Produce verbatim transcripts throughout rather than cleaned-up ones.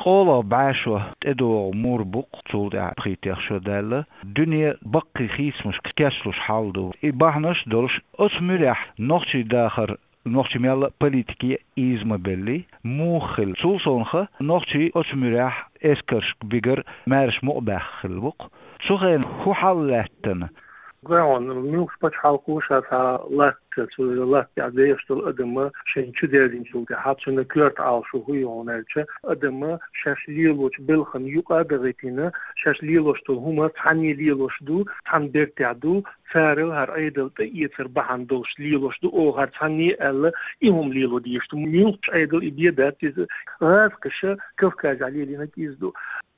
КъолагӀа бӀаь шо тӀедогӀу мур бу-кх цул тӀаьхьа пхийтта шо даьлла. Дуьне баккхий хийцамашка кечлуш хьал ду. И бахьанаш долуш, оцу муьрехь нохчий дахар, нохчий мел а политике ийза ма белли, муха хилла. Цул совнаха, нохчий оцу муьрехь эскаршка бигар, маьрша мукъа баьхна хилла бу-кх. Цу хенахь хӀун хьал лаьттина? Гой хьуна, муьлххачу пачхьалкхо ша цхьа латта, цу латта тӀехь деш долу адам шайна чу дерзинчул тӀаьхьа, цуьнан коьрта Ӏалашо хӀун ю хьуна аьлча, адам шаьш лелочу белхан юкъа а дахийтина, шаьш лелош долу хӀума цхьанне лелош ду, цхьана бертехь ду, цара хӀара Ӏедал тӀеэцар бахьана долуш лелош ду, оха хӀара цхьанне аьлла, и хӀума лело дезаш ду. Муьлххачу Ӏедал и бен дац иза. ГӀазкхаша Кавказехь лелийнарг иза ду.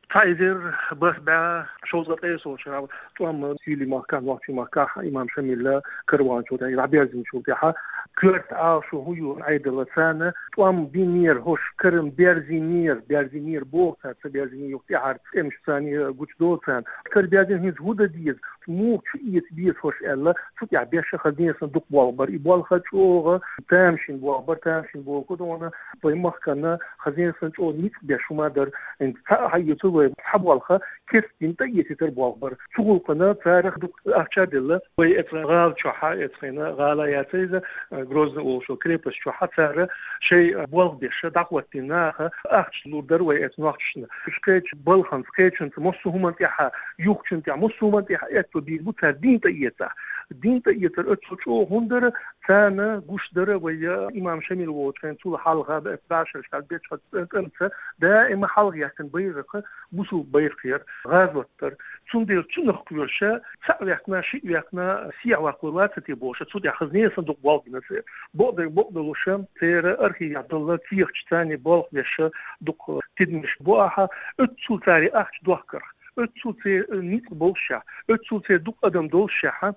Цхьа эзар бархӀ бӀе шовзткъе ткъайесалгӀачу шарахь тӀом Суьйлийн махкахь, Нохчийн махкахь имам Шамила караван чу тӀе дӀаберзинчул тӀаьхьа, коьрта Ӏалашо хӀун ю Ӏедалан, царна тӀом бинера хӀорш, карам берзийнера, берзийнера боху цара, ца берзийна юха тӀаьхьара тӀемаш царна гучудолу царна. Караберзийна хӀинца хӀун дан деза, муха чу эца беза хӀорш аьлла, цу тӀехь беш хаза несан дукха болх бара. И болх чӀогӀа тамашийна болх бара, тамашийна болх ду хьуна, вайн махкана хаза несан чӀогӀа ницкъ беш хӀума дара. ХӀинца цхьаъ хьаэцар вай, цхьа болх кестина тӀеэцийтар болх бара. Цу гӀуллакхана цара дукха ахча а делла, вай эцу гӀала чохь, эцу хенахь гӀала яц иза, Грозный олуш йолу крепость чохь цара шайн болх беш дӀахӀоттийна наха ахча лур дара вай эцу нохчашна. Уьш кхечу балханца, кхечуьнца, массо а хӀуманна тӀехь, юхачунна тӀехь, массо а хӀуманна тӀехь аьтто бийр бу цара дин тӀеэцахь. Дин тӀеэцар оццул чӀогӀа хӀунда дара, царна гуш дара вай имам Шамил волчу хенахь, цул хьалха, бӀе шарахь, бӀе шарахь тӀемца даима хьалха яьккхина байракх бусулба байракх яра, гӀазот дара. Цундела цунах кхоьруш, цхьаъ ваьккхина, шиъ ваьккхина, сехьа ваккхалур вац те бохуш, цу тӀехь хаза несан дукха болх бина церан. Бакъдерг бакъдолуш, церан архивехь долу кехаташ царна болх беш дукха тидамаш бу ахьа, оццул цара и ахча дохкарх, оццул церан ницкъ болушехь, оццул церан дукха адам долушехь,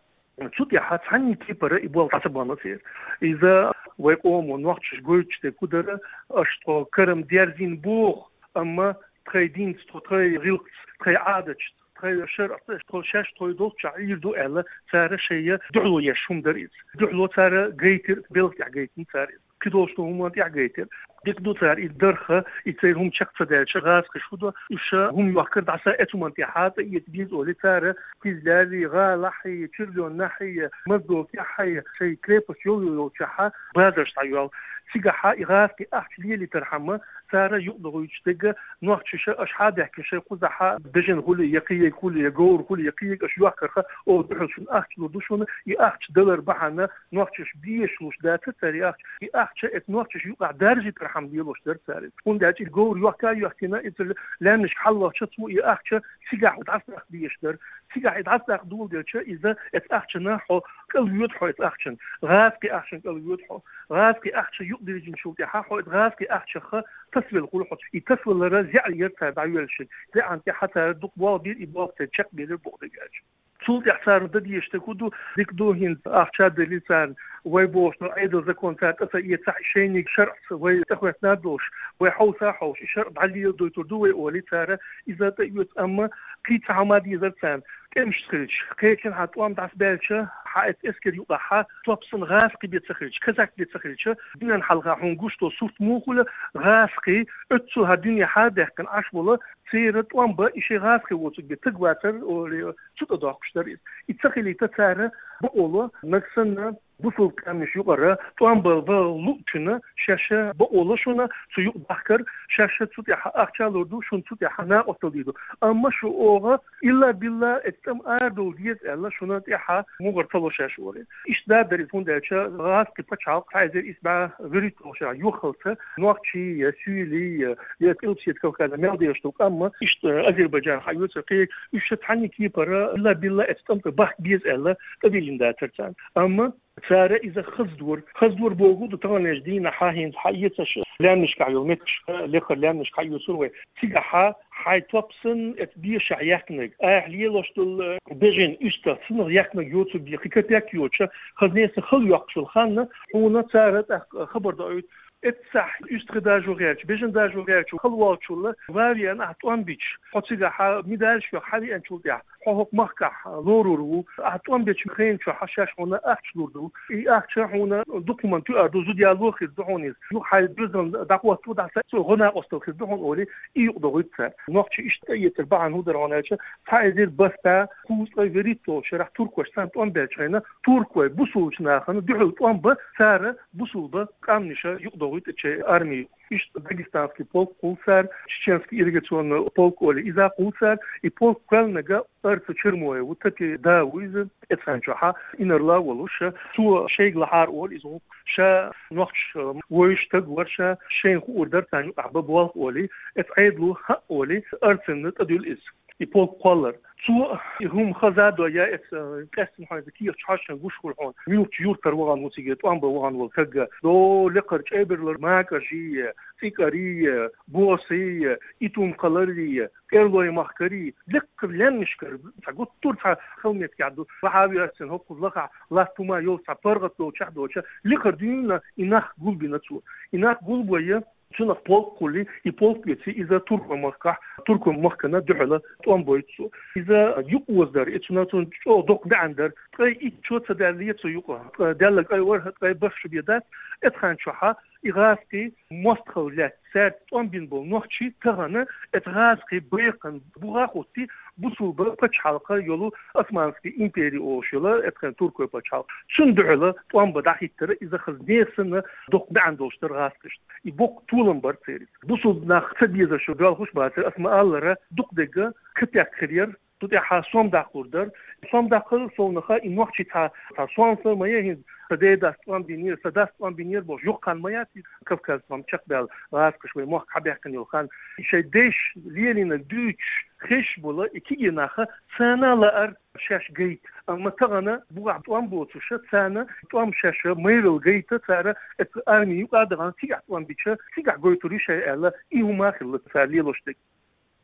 цу тӀехь цхьанна кепара и болх дӀа ца бахна церан. Иза вай къомо нохчаша гойтуш дерг хӀун дара, аша тхо карам дерзийна боху, амма тхайн динца, тхо тхайн гӀиллакхца, тхайн Ӏадаташца, тхайн шарӀаца, тхо шаьш тхоьга долччохь Ӏийр ду аьлла, цара шайн дуьхьало еш хӀума дара иза. Дуьхьало цара гайтира, белхан тӀехь гайтина цара иза. Кхидолчу хӀуманна тӀехь гайтира. Дика ду цара и дарх, и церан хӀума чекх ца даьлча, гӀазкхаша хӀун до, уьш хӀума йохкар дӀаса эцу хӀуманна тӀехь, тӀеэца беза олий цара, Кизлярехь, ГӀалахь, Чирлонахь, Моздокехь, шайн крепость йолу йолчохь базарш дӀайоьллу. Цигахь и гӀазкхийн ахча лелийтархьама, цара юкъадохуьйтуш дерг, нохчаша аша хьа а даьхкина шайн кхузахь бежана хуьлий, я кхиерг хуьлий, я говр хуьлий, я кхиерг, аша йохкарх, оха дуьхьал шуна ахча лур ду шуна, и ахча далар бахьана нохчаша безаш луш дацара цара и ахча. И ахча эцу нохчаша юкъахь даржийтархьама лелош дара цара иза. ХӀунда аьлча и говр йохка а йохкийна, иза лаьмнашка хьалавахча цо и ахча цигахь дӀасадаккха дезаш дара. Цигахь и дӀасадаккха доладелча, иза эцу ахчанна хьо кӀалвоьду хьо эцу ахчанна. ГӀазкхийн ахчанна кӀалвоьду хьо. ГӀазкхийн ахча юкъадирзинчул тӀаьхьа хьо эцу гӀазкхийн ахчах тасавелла хуьлу хьо. И тасавалар зӀе яра цара дӀайоьллуш. ЗӀе Ӏан тӀехь цара дукха болх бийра, и болх церан чекхбелира боху дерг аьлча. Цул тӀаьхьа царна дан дезаш дерг хӀун ду, дика ду хӀинца ахча а делира царна, вай бохуш долу Ӏедалан закон цара тӀе ца эцахь, шайниг шарӀаца вай тӀехӀоьттина а долуш, вай хьовса а хьовсуш, и шарӀ дӀалело дойтур ду вай олий цара, иза тӀеоьцу, амма кхин цхьа хӀума дезара царна. ТӀемашца хилча, кхечанхьа тӀом дӀасабаьлча, хьан эцу эскар юкъахь топ санна гӀазкхий бен ца хилча, казак бен ца хилча, дуьненна хьалха хьуна гуш долу сурт муха хуьлу, гӀазкхий, оццул хӀара дуьне хьа а даьккхина Ӏаш болу, церан тӀом бан и шайн гӀазкхий воцург бен таг вацара олий, цу тӀе доккхуш дара иза. И ца хилийта цара бакъо ло, нагахь санна бусулба къаьмнаш юкъара тӀом бан ван луучунна шаьш бакъо ло шуна цу юкъа дахкар, шаьш цу тӀехь ахча а лур ду, шуна цу тӀехь накъосталла дийр ду. Амма шу оха илла-билла эцу тӀама арадовла деза аьлла, шуна тӀехь мугӀар ца ло шаьш олий. Иштта дара иза, хӀунда аьлча гӀазкхийн пачхьалкх цхьа эзар исс бӀе вуьрхӀитталгӀачу шарахь йоххалца нохчий я суьйлий я, я Къилбаседа Кавказехь мел дезаш долу къам, иштта Азербайджан хьаоьцура кхин, уьш цхьанна кепара илла-билла эцу тӀам тӀе бахка беза аьлла, тӀедиллина дацара царна. Амма цара иза хаза дора. Хаза дора бохург ду, таханлерчу дийнахь хӀинца хьаэцаш лаьмнашкахь йолу меттигашка, леххара лаьмнашка хьаоьцур вай. Цигахь хьайн топ санна эцу бешахь яьккхинарг, айхьа лелош долу бежана уьстагӀ санна яьккхинарг йоцург бен кхин капек йоцуш, хаза несан хала йоккхуш йолу хан, хьуна цара тӀаккха хабар доуьйту. Эццахь уьстагӀий дажо гӀерташ, бежан дажо гӀерташ хала волчул ваьвен ахь тӀом бича, хьо цигахь медаль йохка хьавеанчул тӀехьа, хьо хӀокху махкахь лорур ву, ахь тӀом бечу хенан чохь шаьш хьуна ахча лур ду. И ахча хьуна дукха хӀуманна тоьар ду, зуда яло хир ду хьуна иза. Юха хьайн доьзална дӀахӀотто, дӀаса цо гӀо-накъосталла хир ду хьуна олий, и юкъадохуьйту цара. Нохчий иштта тӀеэцар бахьана хӀун дара хьуна аьлча, цхьа эзар бархӀ бӀе кхузткъе вуьрхӀитталгӀачу шарахь туркоша цхьаьна тӀом баьлча хьуна, туркой бусулбачу нахана дуьхьал тӀом бан цара, бусулба къаьмнаша юкъадохуьйту шайн арми. Иштта Дагестанский полк кхуллу цара, Чеченский ирригационный полк олий, иза кхуллу цара, и полк кхоьллинарг Арца Чермоев ву, Тапи да ву иза, эцхьанчохьа инарла а волуш, цо шайга лахьара олу иза гӀуллакх. Ша нохча вевзаш стаг вара, ша шайна хуур дара царна юкъахь бан болх олий, эцу Ӏедало хаа олий, Арцанна тӀедуьллу иза. И полк кхоллар. Цо и хӀума хаза а дой, я эцу, э, къаьстина хьуна иза кехаташ хьожуш гуш хуьлу хьуна. Муьлххачу юьртара вахана ву цига тӀом бан вахана волу стаг. До лакхара чӀебарлара макӀажий, цӀикӀарий, босий, Итум-кхаларий, КӀерлой-махкарий, лакхара лаьмнашкара, цхьа гуттар а цхьа хала меттиг ду. Вахьа а веъча, хӀокхуза лахахь латта хӀума йолчу цхьа паргӀат долчохь а доцуш, лакхара дуьйна и нах гулбина цо. И нах гулбой, цунах полк кхуллий, и полк оьций, иза туркой-махкахь, туркой-махкана дуьхьала тӀом бойту цо. Иза юкъаоза дара, и цунах цунна чӀогӀа доккха маьӀна дара. Ткъе итт шо ца даьлла цо юкъа, ткъе даьлла ткъе ворхӀ, ткъе бархӀ шо бен дац, эцхьанчохьа и гӀазкхий мостагӀалла лаьцна, цаьрца тӀом бина болу нохчий тахана эцу гӀазкхийн бекхан бухахь а хӀуттий, бусулба пачхьалкх йолу Османский импери олуш йолу, эцхьана туркой пачхьалкх. Цунна дуьхьала тӀом бан дӀахӀиттара иза хаза несан доккха маьӀна долуш дара гӀазкхашна. И боккха толам бара церан. Бусулба нах ца безаш боьлхуш бацара, ас ма-аллара, дукха дерг капек хир яра. Цу тӀехь сом даккхалур дара. Сом даккхалур совнаха и нохчий цхьа, цхьа сом ма яй хӀинца, сан ден дас тӀом бинера, сан дас тӀом бинера бохуш, йоккха хан ма яц и Кавказ тӀом чекхбаьлла гӀазкхаша вайн мохк хьабаьккхина йолу хан. Шайн дайша лелийнарг дуьйцуш хезаш болу и кегий нах царна лаьара шаьш гайта. Амма тахана бухахь тӀом боцуша, царна тӀом шаьш майралла гайта, цара эцу арми юкъа а дахана, цигахь тӀом бича, цигахь гойтур ю шайн аьлла, и хӀума а хилла цара лелош дерг.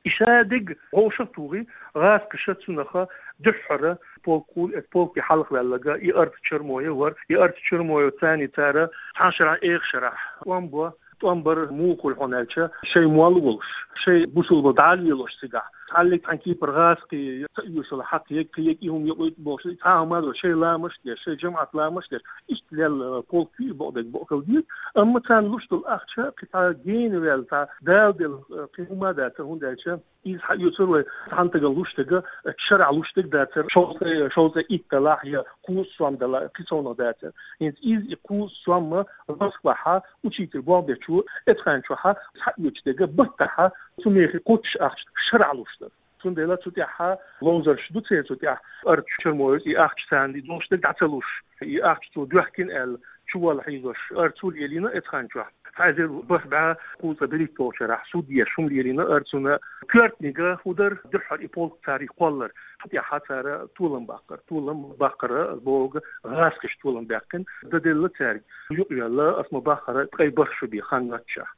И ша дерг вовшах а тухий, гӀазкхаша цунах дуьххьара полк кхуллу, эцу полке хьалхаваьлларг и Арца Чермоев вара. И Арца Чермоев царний цара цхьана шарахь, эха шарахь тӀом бо, тӀом бар муха хуьлу хьуна аьлча, шайн молла волуш, шайн бусулба дӀа а лелош цигахь, цхьаллиг цхьана кепара гӀазкхий ца оьшалла хьакхайо, кхайо, и хӀума йокъуьйту бохуш, цхьа а хӀума а дохуш, шайн ламаш а деш, шайн жамаӀат ламаш а деш, иштта лелла полк ю и, бакъдерг бакъ хила деза. Амма царна луш долу ахча кхин цхьа гена ваьлла, цхьа Дала делла, э, кхин хӀума а дацара, хӀунда аьлча иза хьаоьцура вай цхьана стагана луш дерг, э, шарахь луш дерг дацара, шовзткъе, шовзткъе итт далахь я кхузткъа сом далахь, кхин совнаха дацара. ХӀинца иза и кхузткъа сом Москвахь учитель болх бечо эцхьанчохь схьаоьцуш дерг, баттахь цу мехе кхоччуш ахча шарахь луш дара. Цундела цу тӀехь ловзарш ду церан цу тӀехь, Арца Чермоевс и ахча царна и долуш дерг дӀа ца луш, и ахча цо доьхкина аьлла, чувалла хьийзош Арцу лелийна эцхьанчохь. Цхьа эзар бархӀ бӀе кхузткъе берхӀитталгӀачу шарахь суд еш хӀума лелийна Арцуна. Коьртаниг хӀун дара, дуьххьара и полк царах кхоллар. Цу тӀехь цара толам баккхара. Толам баккхара, ас бохург, гӀазкхаша толам баьккхина. Дан делла цаьрга. Юкъавелла, ас ма-баххара, ткъе бархӀ шо бен хан йоццушехь.